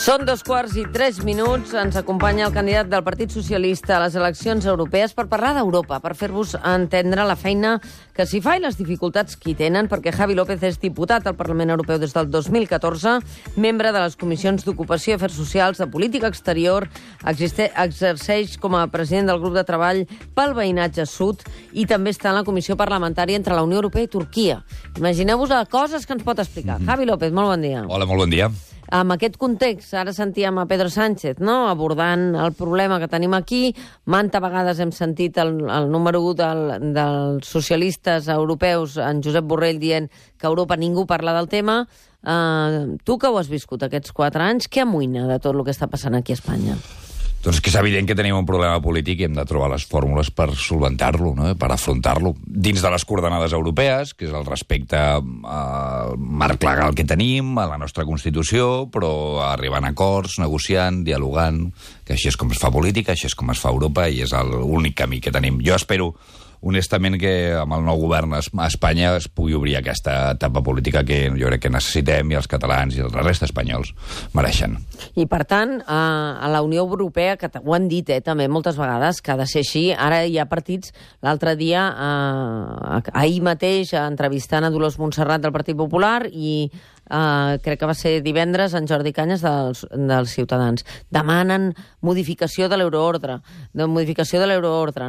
Són 2:03. Ens acompanya el candidat del Partit Socialista a les eleccions europees per parlar d'Europa, per fer-vos entendre la feina que s'hi fa i les dificultats que hi tenen, perquè Javi López és diputat al Parlament Europeu des del 2014, membre de les comissions d'Ocupació i Afers Socials, de Política Exterior, exerceix com a president del grup de treball pel veïnatge sud i també està en la comissió parlamentària entre la Unió Europea i Turquia. Imagineu-vos les coses que ens pot explicar. Javi López, molt bon dia. Hola, molt bon dia. Amb aquest context, ara sentíem a Pedro Sánchez, no?, abordant el problema que tenim aquí. Manta vegades hem sentit el número 1 dels socialistes europeus, en Josep Borrell, dient que a Europa ningú parla del tema. Tu que ho has viscut aquests 4 anys, què amoïna de tot el que està passant aquí a Espanya? Doncs que és evident que tenim un problema polític i hem de trobar les fórmules per solventar-lo, no? Per afrontar-lo. Dins de les coordenades europees, que és el respecte al marc legal que tenim, a la nostra Constitució, però arribant a acords, negociant, dialogant, que així és com es fa política, així és com es fa Europa i és l'únic camí que tenim. Jo espero, honestament, que amb el nou govern a Espanya es pugui obrir aquesta etapa política que jo crec que necessitem i els catalans i la resta espanyols mereixen. I, per tant, a la Unió Europea, que ho han dit també moltes vegades, que ha de ser així, ara hi ha partits. L'altre dia, ahir mateix, entrevistant a Dolors Montserrat del Partit Popular i crec que va ser divendres, en Jordi Cañas dels Ciutadans. Demanen modificació de l'euroordre,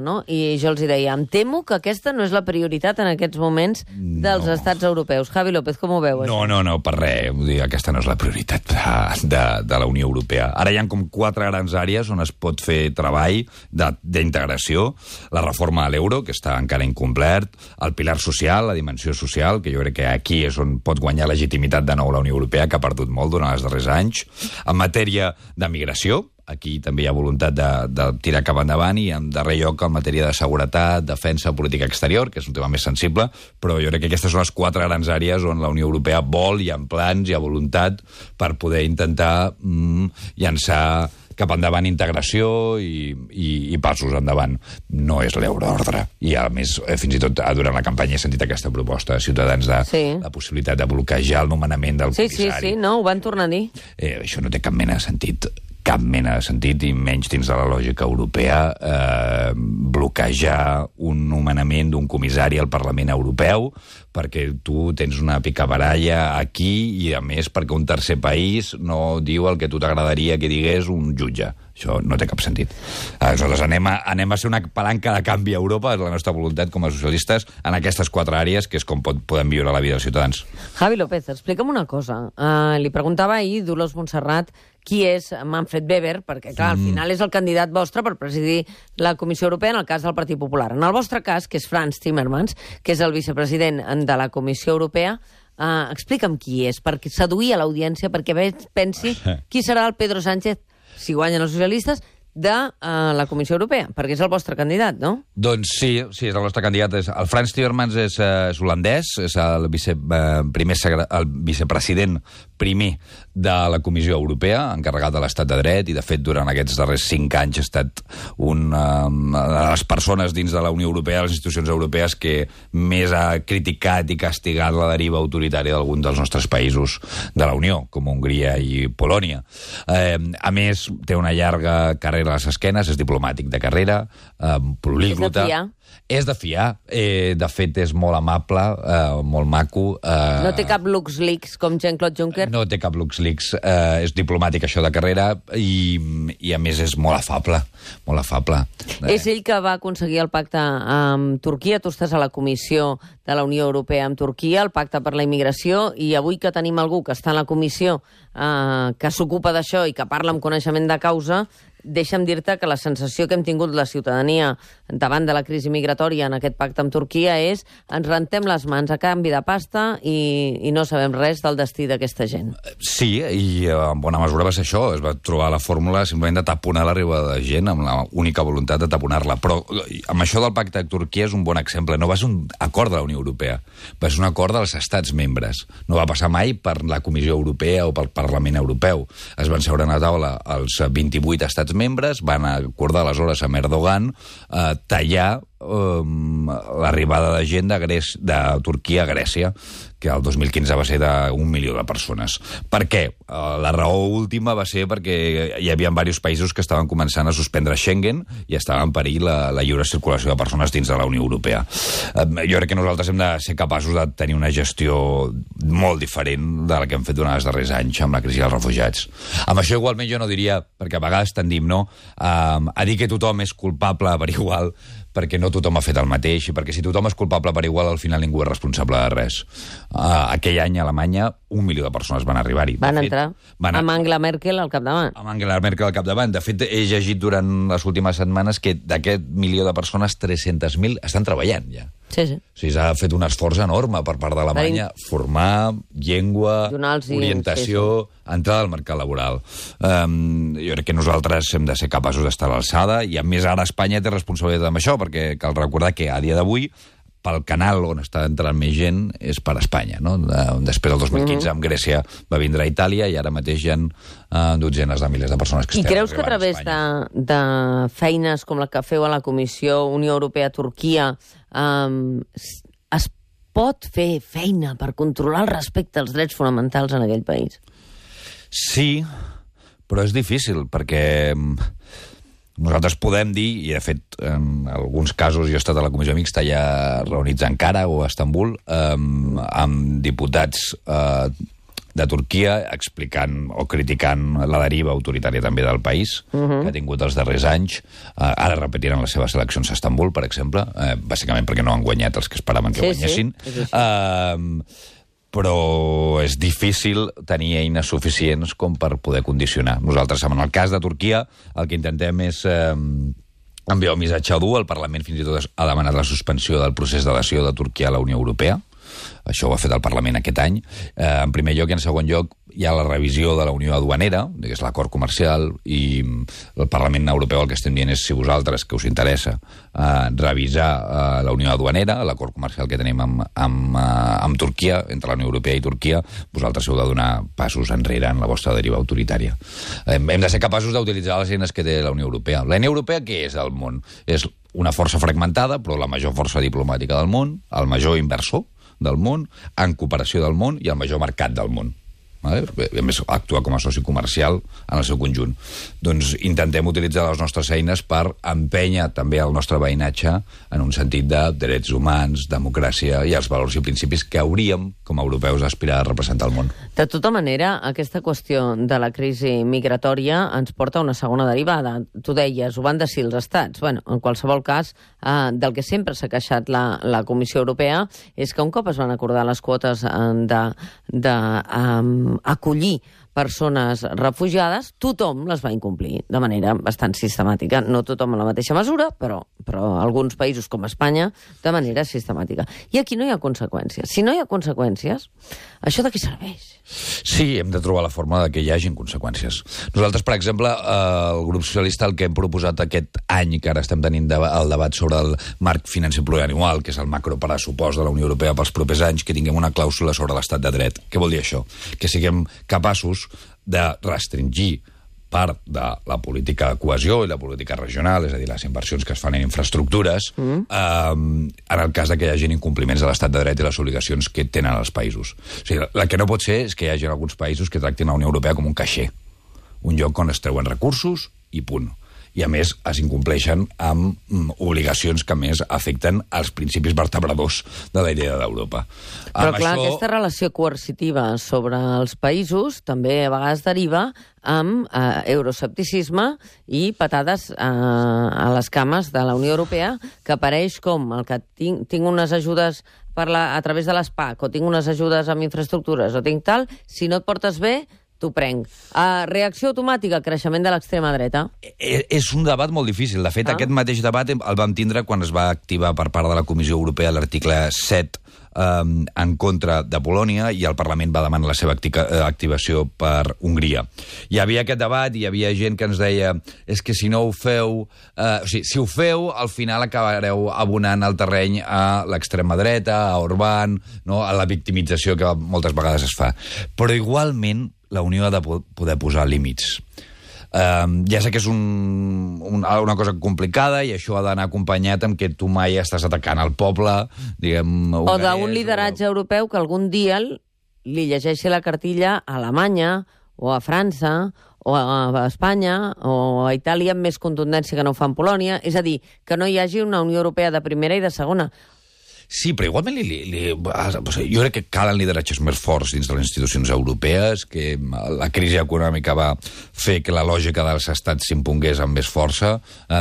no? I jo els deia, em temo que aquesta no és la prioritat en aquests moments dels estats europeus. Javi López, com ho veu, això? No, per res. Vull dir, aquesta no és la prioritat de la Unió Europea. Ara hi ha com 4 grans àrees on es pot fer treball d'integració. La reforma de l'euro, que està encara incomplert, el pilar social, la dimensió social, que jo crec que aquí és on pot guanyar legitimitat de nou la Unió Europea, que ha perdut molt durant els darrers anys. En matèria de migració, aquí també hi ha voluntat de tirar cap endavant, i en darrer lloc en matèria de seguretat, defensa, política exterior, que és un tema més sensible, però jo crec que aquestes són les 4 grans àrees on la Unió Europea vol, hi ha plans, hi ha voluntat per poder intentar llançar cap endavant integració i passos endavant. No és l'euroordre. I, a més, fins i tot durant la campanya he sentit aquesta proposta de Ciutadans de la possibilitat de bloquejar el nomenament del comissari. Sí, no, ho van tornar a dir. Això no té cap mena de sentit. Cap mena de sentit, i menys dins de la lògica europea, bloquejar un nomenament d'un comissari al Parlament Europeu perquè tu tens una picabaralla aquí i, a més, perquè un tercer país no diu el que tu t'agradaria que digués un jutge. Això no té cap sentit. Aleshores, anem a ser una palanca de canvi a Europa, és la nostra voluntat com a socialistes, en aquestes 4 àrees, que és com podem viure la vida dels ciutadans. Javi López, explica'm una cosa. Li preguntava ahir Dolors Montserrat qui és Manfred Weber, perquè, clar, al final és el candidat vostre per presidir la Comissió Europea en el cas del Partit Popular. En el vostre cas, que és Frans Timmermans, que és el vicepresident de la Comissió Europea, explica'm qui és, perquè seduir a l'audiència, perquè pensi qui serà el Pedro Sánchez, si guanyen els socialistes, de la Comissió Europea, perquè és el vostre candidat, no? Doncs sí, és el nostre candidat. El Frans Timmermans és holandès, és el vicepresident primer de la Comissió Europea, encarregat de l'estat de dret, i de fet durant aquests darrers 5 anys ha estat una de les persones dins de la Unió Europea, de les institucions europees, que més ha criticat i castigat la deriva autoritària d'algun dels nostres països de la Unió, com Hongria i Polònia. A més, té una llarga carrera a les esquenes, és diplomàtic de carrera, políglota. És de fiar. De fet, és molt amable, molt maco. No té cap LuxLeaks com Jean-Claude Juncker? No té cap LuxLeaks. És diplomàtic, això de carrera, i a més és molt afable. Molt afable. És ell que va aconseguir el pacte amb Turquia. Tu estàs a la Comissió de la Unió Europea amb Turquia, el pacte per la immigració, i avui que tenim algú que està en la comissió que s'ocupa d'això i que parla amb coneixement de causa, deixa'm dir-te que la sensació que hem tingut la ciutadania davant de la crisi migratòria en aquest pacte amb Turquia és ens rentem les mans a canvi de pasta i no sabem res del destí d'aquesta gent. Sí, i en bona mesura va ser això. Es va trobar la fórmula simplement de taponar l'arribada de gent, amb l'única voluntat de taponar-la. Però amb això del pacte de Turquia és un bon exemple. No va ser un acord de la Unió Europea, va ser un acord dels estats membres. No va passar mai per la Comissió Europea o pel Parlament Europeu. Es van seure a la taula els 28 estats membres, van acordar aleshores amb Erdogan tallar l'arribada de gent de Turquia a Grècia, que el 2015 va ser d'1 milió de persones. Per què? La raó última va ser perquè hi havia diversos països que estaven començant a suspendre Schengen i estava en perill la lliure circulació de persones dins de la Unió Europea. Jo crec que nosaltres hem de ser capaços de tenir una gestió molt diferent de la que hem fet durant els darrers anys amb la crisi dels refugiats. Amb això igualment jo no diria, perquè a vegades tendim a dir que tothom és culpable per igual, perquè no tothom ha fet el mateix, i perquè si tothom és culpable per igual, al final ningú és responsable de res. Aquell any a Alemanya 1 milió de persones van arribar-hi. Van entrar amb Angela Merkel al capdavant. Amb Angela Merkel al capdavant. De fet, he llegit durant les últimes setmanes que d'aquest milió de persones, 300.000 estan treballant ja. Sí, sí. O sigui, s'ha fet un esforç enorme per part d'Alemanya, formar, llengua, orientació, entrada al mercat laboral. Jo crec que nosaltres hem de ser capaços d'estar a l'alçada, i a més ara Espanya té responsabilitat amb això, perquè cal recordar que a dia d'avui pel canal on està entrant més gent és per Espanya, no? Després del 2015 amb Grècia va vindre a Itàlia i ara mateix hi ha dotzenes de milers de persones que estan arribant a Espanya. I creus que a través de feines com la que feu a la Comissió Unió Europea-Turquia es pot fer feina per controlar el respecte als drets fonamentals en aquell país? Sí, però és difícil, perquè nosaltres podem dir, i de fet en alguns casos jo he estat a la comissió mixta ja reunits a Ankara o a Istanbul amb diputats de Turquia explicant o criticant la deriva autoritària també del país que ha tingut els darrers anys. Ara repetiran les seves eleccions a Istanbul, per exemple, bàsicament perquè no han guanyat els que esperaven que guanyessin. Però és difícil tenir eines suficients com per poder condicionar. Nosaltres, en el cas de Turquia, el que intentem és enviar un missatge dur. El Parlament fins i tot ha demanat la suspensió del procés d'adhesió de Turquia a la Unió Europea. Això ho ha fet el Parlament aquest any. En primer lloc i en segon lloc hi ha la revisió de la Unió Aduanera, que és l'acord comercial, i el Parlament Europeu el que estem dient és, si vosaltres, que us interessa, revisar la Unió Aduanera, l'acord comercial que tenim amb Turquia, entre la Unió Europea i Turquia, vosaltres heu de donar passos enrere en la vostra deriva autoritària. Hem de ser capaços d'utilitzar les eines que té la Unió Europea. La Unió Europea què és al món? És una força fragmentada, però la major força diplomàtica del món, el major inversor del món, en cooperació del món i el major mercat del món. A més, actua com a soci comercial en el seu conjunt. Doncs intentem utilitzar les nostres eines per empènyer també el nostre veïnatge en un sentit de drets humans, democràcia i els valors i principis que hauríem, com a europeus, aspirar a representar el món. De tota manera, aquesta qüestió de la crisi migratòria ens porta a una segona derivada. Tu deies, ho van decidir els estats. Bueno, en qualsevol cas, del que sempre s'ha queixat la Comissió Europea és que un cop es van acordar les quotes acollir persones refugiades, tothom les va incomplir de manera bastant sistemàtica. No tothom en la mateixa mesura, però alguns països com Espanya de manera sistemàtica. I aquí no hi ha conseqüències. Si no hi ha conseqüències, això de què serveix? Sí, hem de trobar la forma de que hi hagin conseqüències. Nosaltres, per exemple, el grup socialista, el que hem proposat aquest any, que ara estem tenint el debat sobre el marc financer plurianual, que és el macropressupost de la Unió Europea pels propers anys, que tinguem una clàusula sobre l'estat de dret. Què vol dir això? Que siguem capaços de restringir part de la política de cohesió i la política regional, és a dir, les inversions que es fan en infraestructures, en el cas de que hi hagi incompliments de l'estat de dret i les obligacions que tenen els països. O sigui, el que no pot ser és que hi hagi alguns països que tractin la Unió Europea com un caixer, un lloc on es treuen recursos i punt. I, a més, es incompleixen amb obligacions que, a més, afecten els principis vertebradors de la idea d'Europa. Però, clar, aquesta relació coercitiva sobre els països també a vegades deriva amb euroescepticisme i patades a les cames de la Unió Europea, que apareix com el que tinc unes ajudes a través de l'ESPAC, o tinc unes ajudes amb infraestructures, o tinc tal, si no et portes bé, t'ho prenc. Reacció automàtica, creixement de l'extrema dreta. És un debat molt difícil. De fet, aquest mateix debat el vam tindre quan es va activar per part de la Comissió Europea l'article 7 en contra de Polònia, i el Parlament va demanar la seva activació per Hongria. Hi havia aquest debat i hi havia gent que ens deia és que si no ho feu... o sigui, si ho feu, al final acabareu abonant el terreny a l'extrema dreta, a Orbán, no? A la victimització que moltes vegades es fa. Però igualment la Unió ha de poder posar límits. Ja sé que és una cosa complicada i això ha d'anar acompanyat amb que tu mai estàs atacant el poble, diguem... O d'un lideratge europeu que algun dia li llegeixi la cartilla a Alemanya o a França o a Espanya o a Itàlia amb més contundència que no ho fa en Polònia. És a dir, que no hi hagi una Unió Europea de primera i de segona. Sí, però igualment jo crec que calen lideratges més forts dins de les institucions europees, que la crisi econòmica va fer que la lògica dels estats s'impongués amb més força,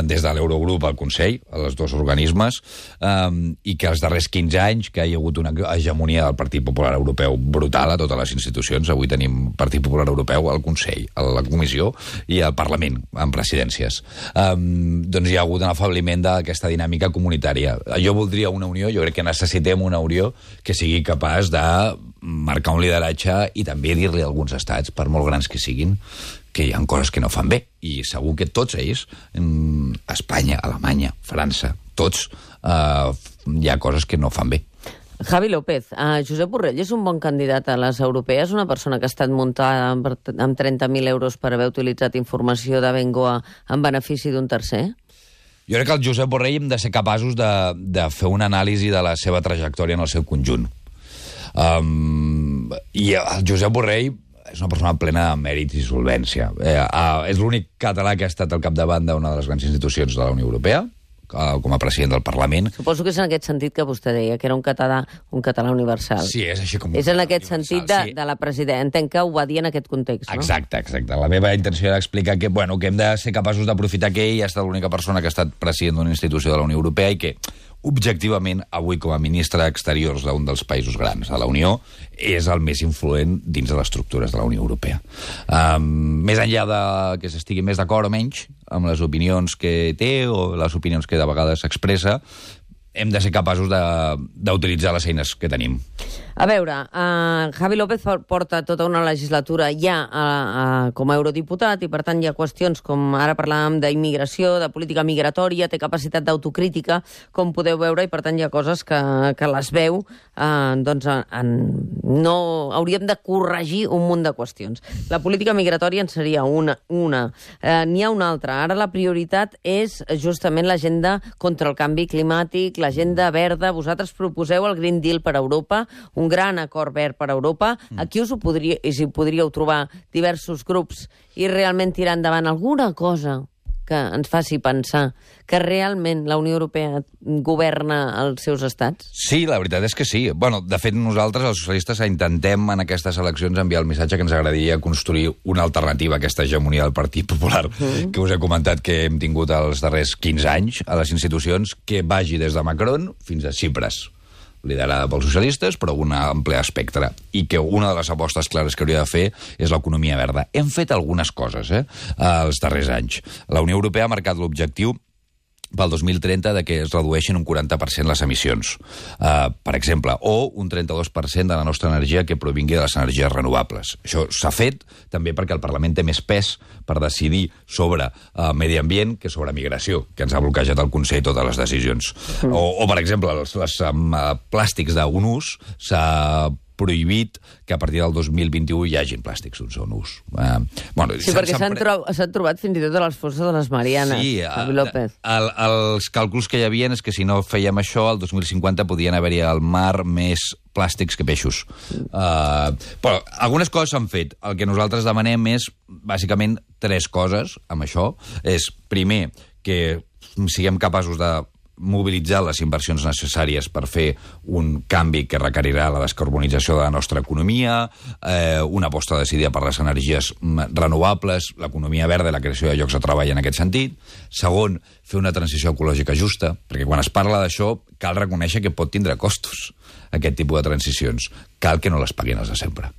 des de l'Eurogrup al Consell, als dos organismes, i que els darrers 15 anys que hi ha hagut una hegemonia del Partit Popular Europeu brutal a totes les institucions. Avui tenim Partit Popular Europeu al Consell, a la Comissió i al Parlament, amb presidències. Doncs hi ha hagut un afabliment d'aquesta dinàmica comunitària. Jo voldria una unió, jo crec que necessitem una Unió que sigui capaç de marcar un lideratge i també dir-li a alguns estats, per molt grans que siguin, que hi ha coses que no fan bé. I segur que tots ells, Espanya, Alemanya, França, tots, hi ha coses que no fan bé. Javi López, Josep Borrell és un bon candidat a les europees, una persona que ha estat muntada amb 30.000 euros per haver utilitzat informació de Bengoa en benefici d'un tercer? Jo crec que el Josep Borrell hem de ser capaços de fer una anàlisi de la seva trajectòria en el seu conjunt. I el Josep Borrell és una persona plena de mèrits i solvència. És l'únic català que ha estat al capdavant d'una de les grans institucions de la Unió Europea, com a president del Parlament. Suposo que és en aquest sentit que vostè deia, que era un català universal. Sí, és així com... És en aquest sentit de la presidenta. Entenc que ho va dir en aquest context, no? Exacte. La meva intenció era explicar que hem de ser capaços d'aprofitar que ell ha estat l'única persona que ha estat president d'una institució de la Unió Europea i que, objectivament, avui com a ministre d'Exteriors d'un dels països grans de la Unió, és el més influent dins de les estructures de la Unió Europea. Més enllà de que s'estigui més d'acord o menys amb les opinions que té o les opinions que de vegades s'expressa, hem de ser capaços d'utilitzar les eines que tenim. A veure, Javi López porta tota una legislatura ja com a eurodiputat i, per tant, hi ha qüestions com ara parlàvem d'immigració, de política migratòria, té capacitat d'autocrítica, com podeu veure, i, per tant, hi ha coses que les veu, no hauríem de corregir un munt de qüestions. La política migratòria en seria una. N'hi ha una altra. Ara la prioritat és justament l'agenda contra el canvi climàtic, l'agenda verda. Vosaltres proposeu el Green Deal per a Europa, un gran acord verd per a Europa. Aquí us podríeu trobar diversos grups i realment tirar endavant alguna cosa que ens faci pensar que realment la Unió Europea governa els seus estats? Sí, la veritat és que sí. De fet, nosaltres, els socialistes, intentem en aquestes eleccions enviar el missatge que ens agradaria construir una alternativa a aquesta hegemonia del Partit Popular que us he comentat que hem tingut els darrers 15 anys a les institucions, que vagi des de Macron fins a Tsipras, liderada pels socialistes, però un ampli espectre, i que una de les apostes clares que hauria de fer és l'economia verda. Hem fet algunes coses els darrers anys. La Unió Europea ha marcat l'objectiu pel 2030 de que es redueixin un 40% les emissions, per exemple, o un 32% de la nostra energia que provingui de les energies renovables. Això s'ha fet també perquè el Parlament té més pes per decidir sobre medi ambient que sobre migració, que ens ha bloquejat el Consell totes les decisions. O per exemple, els plàstics d'un ús s'ha prohibit que a partir del 2021 hi hagin plàstics d'un sol ús. Sí, perquè s'han trobat fins i tot a les fosses de les Marianes, Javi López. Els càlculs que hi havia és que si no fèiem això, el 2050 podien haver-hi al mar més plàstics que peixos. Però algunes coses s'han fet. El que nosaltres demanem és, bàsicament, 3 coses amb això. És, primer, que siguem capaços de mobilitzar les inversions necessàries per fer un canvi que requerirà la descarbonització de la nostra economia, una aposta decidida per les energies renovables, l'economia verda i la creació de llocs de treball en aquest sentit. Segon, fer una transició ecològica justa, perquè quan es parla d'això cal reconèixer que pot tindre costos aquest tipus de transicions. Cal que no les paguin els de sempre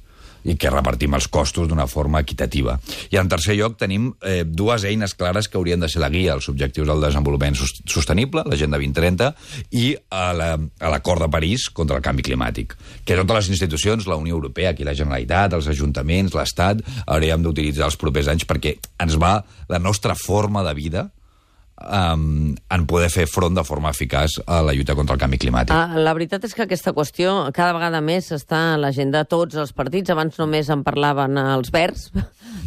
i que repartim els costos d'una forma equitativa. I en tercer lloc tenim 2 eines clares que haurien de ser la guia als objectius del desenvolupament sostenible, l'Agenda 2030, i a l'Acord de París contra el canvi climàtic, que totes les institucions, la Unió Europea, aquí la Generalitat, els ajuntaments, l'Estat, hauríem d'utilitzar els propers anys perquè ens va la nostra forma de vida en poder fer front de forma eficaç a la lluita contra el canvi climàtic. La veritat és que aquesta qüestió cada vegada més està a l'agenda de tots els partits. Abans només en parlaven els Verds,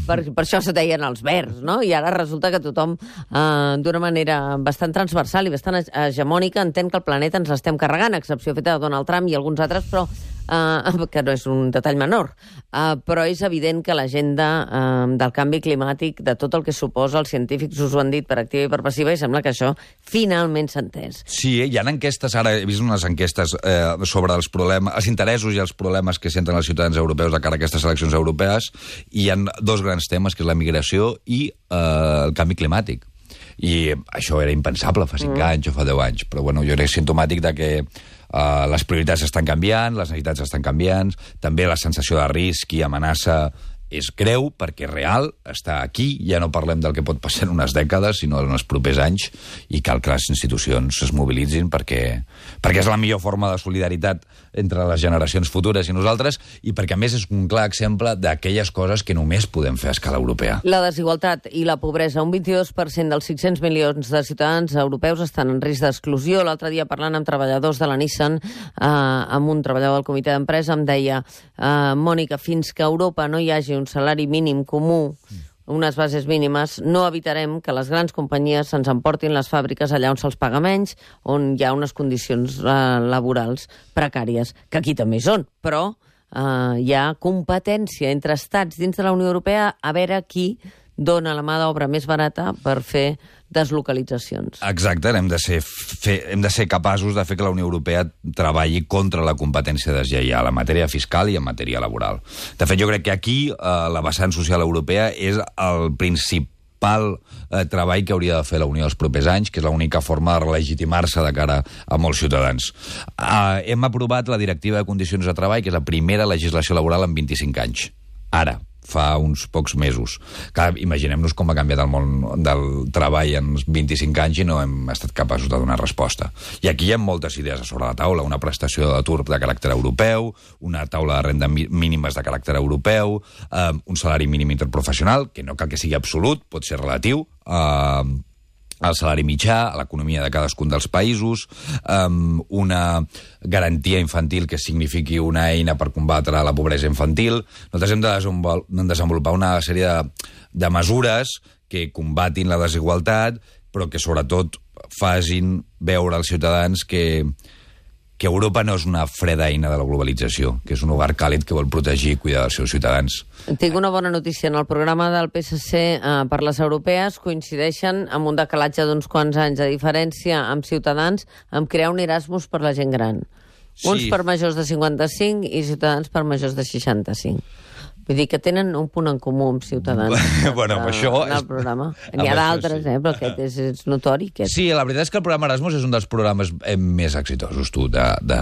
per això se deien els verds, no? I ara resulta que tothom, d'una manera bastant transversal i bastant hegemònica, entén que el planeta ens l'estem carregant, a excepció feta de Donald Trump i alguns altres, però que no és un detall menor. Però és evident que l'agenda del canvi climàtic, de tot el que suposa, els científics us ho han dit per activa i per passiva, i sembla que això finalment s'ha entès. Sí, hi ha enquestes, ara he vist unes enquestes sobre els problemes, els interessos i els problemes que senten els ciutadans europeus de cara a aquestes eleccions europees, i hi ha dos grans temes, que és la migració i el canvi climàtic. I això era impensable fa 5 anys o fa 10 anys, però bueno, jo crec que és simptomàtic de que les prioritats estan canviant, les necessitats estan canviant, també la sensació de risc i amenaça és greu, perquè real, està aquí, ja no parlem del que pot passar en unes dècades, sinó en els propers anys, i cal que les institucions es mobilitzin perquè és la millor forma de solidaritat entre les generacions futures i nosaltres, i perquè, a més, és un clar exemple d'aquelles coses que només podem fer a escala europea. La desigualtat i la pobresa. Un 22% dels 600 milions de ciutadans europeus estan en risc d'exclusió. L'altre dia, parlant amb treballadors de la Nissan, amb un treballador del comitè d'empresa, em deia Mònica, fins que a Europa no hi hagi un salari mínim comú, unes bases mínimes, no evitarem que les grans companyies se'ns emportin les fàbriques allà on se'ls paga menys, on hi ha unes condicions laborals precàries, que aquí també hi són, però hi ha competència entre estats dins de la Unió Europea a veure qui dona la mà d'obra més barata per fer deslocalitzacions. Exacte, hem de ser capaços de fer que la Unió Europea treballi contra la competència deslleial en matèria fiscal i en matèria laboral. De fet, jo crec que aquí la vessant social europea és el principal treball que hauria de fer la Unió els propers anys, que és l'única forma de legitimar-se de cara a molts ciutadans. Hem aprovat la Directiva de Condicions de Treball, que és la primera legislació laboral en 25 anys. Ara, fa uns pocs mesos. Clar, imaginem-nos com ha canviat el món del treball en 25 anys i no hem estat capaços de donar resposta. I aquí hi ha moltes idees a sobre la taula. Una prestació d'atur de caràcter europeu, una taula de renda mínimes de caràcter europeu, un salari mínim interprofessional, que no cal que sigui absolut, pot ser relatiu, al salari mitjà, a l'economia de cadascun dels països, una garantia infantil que signifiqui una eina per combatre la pobresa infantil. Nosaltres hem de desenvolupar una sèrie de mesures que combatin la desigualtat, però que sobretot facin veure als ciutadans que Europa no és una freda eina de la globalització, que és un hogar càlid que vol protegir i cuidar dels seus ciutadans. Tinc una bona notícia. En el programa del PSC per les europees coincideixen amb un decalatge d'uns quants anys de diferència amb Ciutadans amb crear un Erasmus per la gent gran. Sí. Uns per majors de 55 i Ciutadans per majors de 65. Vull dir que tenen un punt en comú amb Ciutadans bueno, això en el programa. N'hi ha d'altres, sí. Però aquest és notori. Aquest. Sí, la veritat és que el programa Erasmus és un dels programes més exitosos de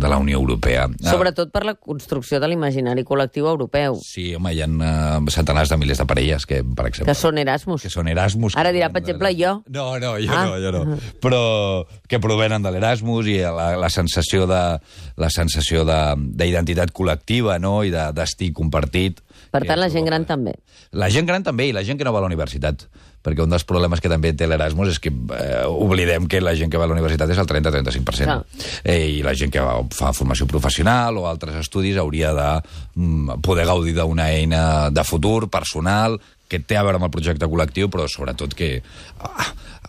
la Unió Europea. Sobretot per la construcció de l'imaginari col·lectiu europeu. Sí, home, hi ha centenars de milers de parelles que, per exemple... Que són Erasmus. Que són Erasmus. Ara dirà, per exemple, jo. No, jo no. Però que provenen de l'Erasmus i la sensació d'identitat col·lectiva, no?, i de destí compartit. Per tant, la gent gran també. La gent gran també, i la gent que no va a la universitat. Perquè un dels problemes que també té l'Erasmus és que oblidem que la gent que va a la universitat és el 30-35%. I la gent que fa formació professional o altres estudis hauria de poder gaudir d'una eina de futur, personal, que té a veure amb el projecte col·lectiu, però sobretot que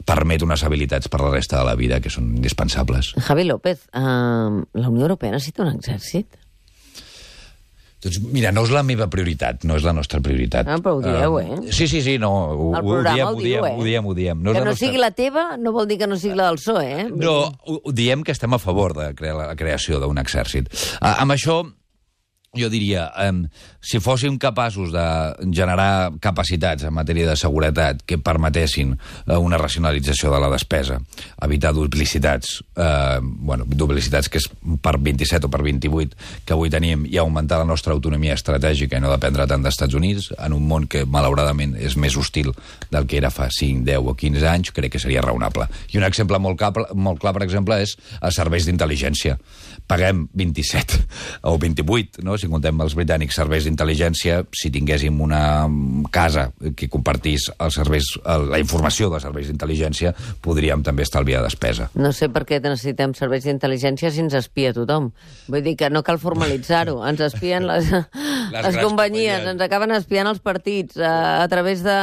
permet unes habilitats per la resta de la vida que són indispensables. Javi López, la Unió Europea necessita un exèrcit? Doncs mira, no és la meva prioritat, no és la nostra prioritat. Però ho dieu, Sí, no, ho diem. No que no sigui la teva no vol dir que no sigui la del PSOE, No, ho diem que estem a favor de la creació d'un exèrcit. Amb això, jo diria, si fóssim capaços de generar capacitats en matèria de seguretat que permetessin una racionalització de la despesa, evitar duplicitats, duplicitats que és per 27 o per 28 que avui tenim, i augmentar la nostra autonomia estratègica i no dependre tant dels Estats Units, en un món que, malauradament, és més hostil del que era fa 5, 10 o 15 anys, crec que seria raonable. I un exemple molt clar, per exemple, és els serveis d'intel·ligència. paguem 27 o 28, no? Si contem els britànics serveis d'intel·ligència, si tinguéssim una casa que compartís la informació dels serveis d'intel·ligència, podríem també estalviar despesa. No sé per què necessitem serveis d'intel·ligència si ens espia tothom. Vull dir que no cal formalitzar-ho. Ens espien les companyies, ens acaben espiant els partits a través de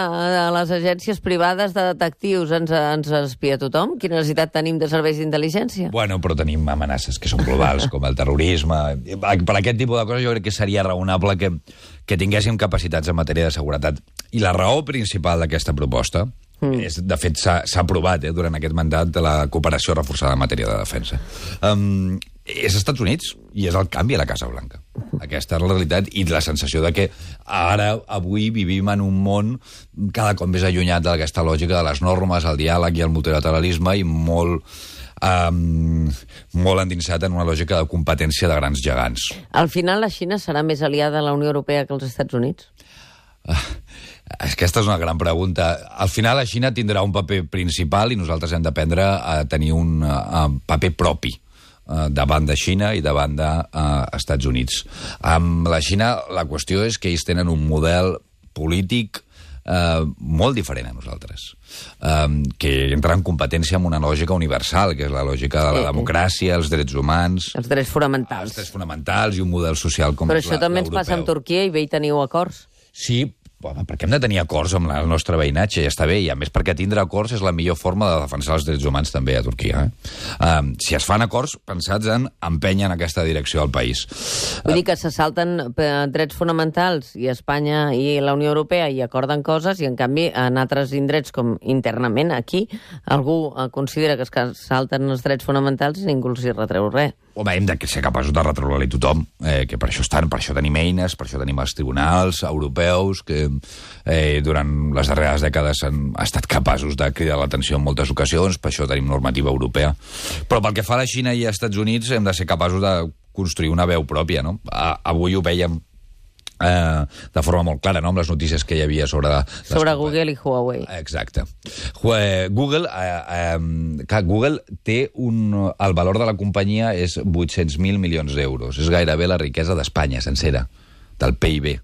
les agències privades de detectius. Ens espia tothom? Quina necessitat tenim de serveis d'intel·ligència? Bueno, però tenim amenaces que són globals, com el terrorisme. Per aquest tipus de coses jo crec que seria raonable que tinguéssim capacitats en matèria de seguretat. I la raó principal d'aquesta proposta és, de fet, s'ha aprovat durant aquest mandat de la cooperació reforçada en matèria de defensa. És als Estats Units i és el canvi a la Casa Blanca. Aquesta és la realitat i la sensació de que avui vivim en un món cada cop més allunyat d'aquesta lògica de les normes, el diàleg i el multilateralisme i molt endinsat en una lògica de competència de grans gegants. Al final la Xina serà més aliada de la Unió Europea que els Estats Units? Aquesta és una gran pregunta. Al final la Xina tindrà un paper principal i nosaltres hem d'aprendre a tenir un paper propi davant de Xina i davant d'Estats Units. Amb la Xina la qüestió és que ells tenen un model polític molt diferent a nosaltres, que entra en competència amb una lògica universal, que és la lògica de la democràcia, els drets humans... Els drets fonamentals. Els drets fonamentals i un model social com Però això també ens passa amb Turquia i bé hi teniu acords. Sí, perquè hem de tenir acords amb el nostre veïnatge, ja està bé, i a més perquè tindre acords és la millor forma de defensar els drets humans també a Turquia. Si es fan acords pensats en empènyer en aquesta direcció al país. Vull dir que se salten drets fonamentals i Espanya i la Unió Europea i acorden coses i en canvi en altres indrets com internament aquí algú considera que es salten els drets fonamentals i ningú els hi retreu res. Home, hem de ser capaços de retreure-li tothom, que per això tenim eines, per això tenim els tribunals europeus, que durant les darreres dècades han estat capaços de cridar l'atenció en moltes ocasions, per això tenim normativa europea. Però pel que fa a la Xina i als Estats Units hem de ser capaços de construir una veu pròpia, no? Avui ho vèiem de forma molt clara, no?, amb les notícies que hi havia sobre Google i Huawei. Exacte. Google té el valor de la companyia és 800.000 milions d'euros. És gairebé la riquesa d'Espanya sencera, del PIB.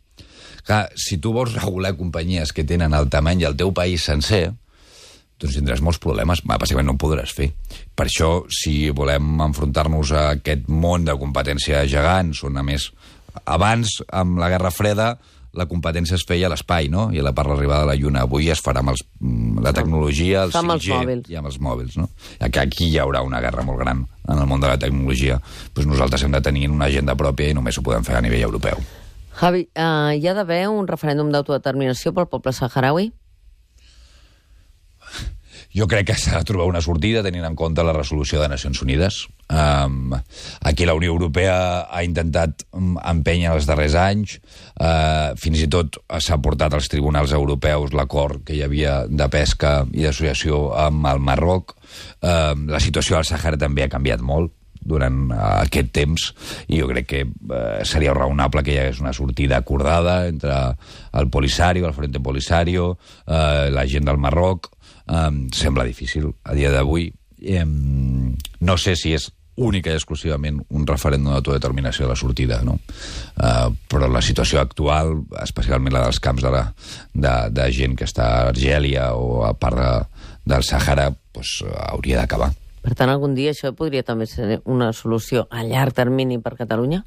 Clar, si tu vols regular companyies que tenen el tamany del teu país sencer, doncs tindràs molts problemes. Bàsicament no ho podràs fer. Per això, si volem enfrontar-nos a aquest món de competència gegants, on a més abans, amb la Guerra Freda, la competència es feia a l'espai, no? I per l'arribada de la Lluna. Avui es farà amb la tecnologia, el 5G i amb els mòbils, no? Aquí hi haurà una guerra molt gran en el món de la tecnologia. Doncs nosaltres hem de tenir una agenda pròpia i només ho podem fer a nivell europeu. Javi, hi ha d'haver un referèndum d'autodeterminació pel poble saharaui? Jo crec que s'ha de trobar una sortida tenint en compte la resolució de Nacions Unides. Aquí la Unió Europea ha intentat empènyer els darrers anys. Fins i tot s'ha portat als tribunals europeus l'acord que hi havia de pesca i d'associació amb el Marroc. La situació al Sàhara també ha canviat molt durant aquest temps i jo crec que seria raonable que hi hagués una sortida acordada entre el Polisario, el Frente Polisario, la gent del Marroc. Sembla difícil a dia d'avui. No sé si és única i exclusivament un referèndum d'autodeterminació de la sortida, no? Però la situació actual, especialment la dels camps de gent que està a Argèlia o a part del Sàhara, doncs, hauria d'acabar. Per tant, algun dia això podria també ser una solució a llarg termini per Catalunya?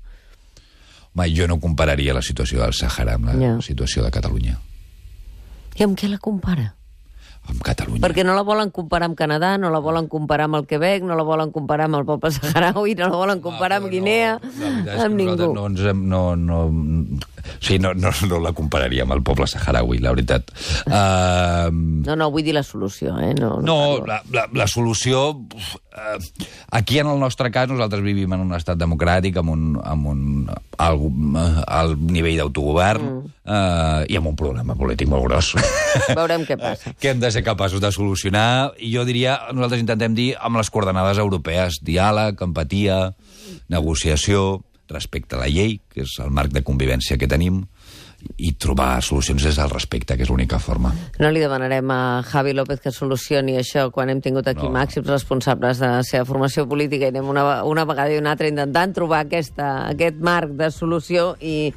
Home, jo no compararia la situació del Sàhara amb la situació de Catalunya. I amb què la compara? Amb Catalunya. Perquè no la volen comparar amb Canadà, no la volen comparar amb el Quebec, no la volen comparar amb el poble saharaui, no la volen comparar amb Guinea, amb ningú. No la compararia amb el poble saharaui, la veritat. No, vull dir la solució, la solució... Aquí, en el nostre cas, nosaltres vivim en un estat democràtic, amb un alt nivell d'autogovern i amb un problema polític molt gros. Veurem què passa. Que hem de ser capaços de solucionar. I jo diria, nosaltres intentem dir, amb les coordenades europees, diàleg, empatia, negociació, respecte a la llei, que és el marc de convivència que tenim, i trobar solucions des del respecte, que és l'única forma. No li demanarem a Javi López que solucioni això quan hem tingut aquí màxims responsables de la seva formació política i anem una vegada i una altra intentant trobar aquest marc de solució i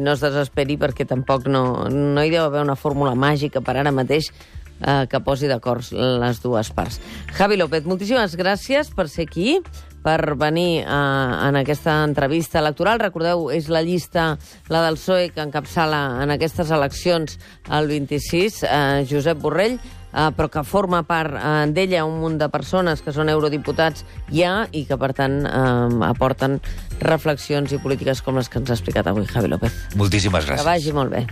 no es desesperi perquè tampoc no hi deu haver una fórmula màgica per ara mateix que posi d'acord les dues parts. Javi López, moltíssimes gràcies per ser aquí, per venir en aquesta entrevista electoral. Recordeu, és la llista, la del PSOE, que encapçala en aquestes eleccions el 26, Josep Borrell, però que forma part d'ella un munt de persones que són eurodiputats ja i que, per tant, aporten reflexions i polítiques com les que ens ha explicat avui Javi López. Moltíssimes gràcies. Que vagi molt bé.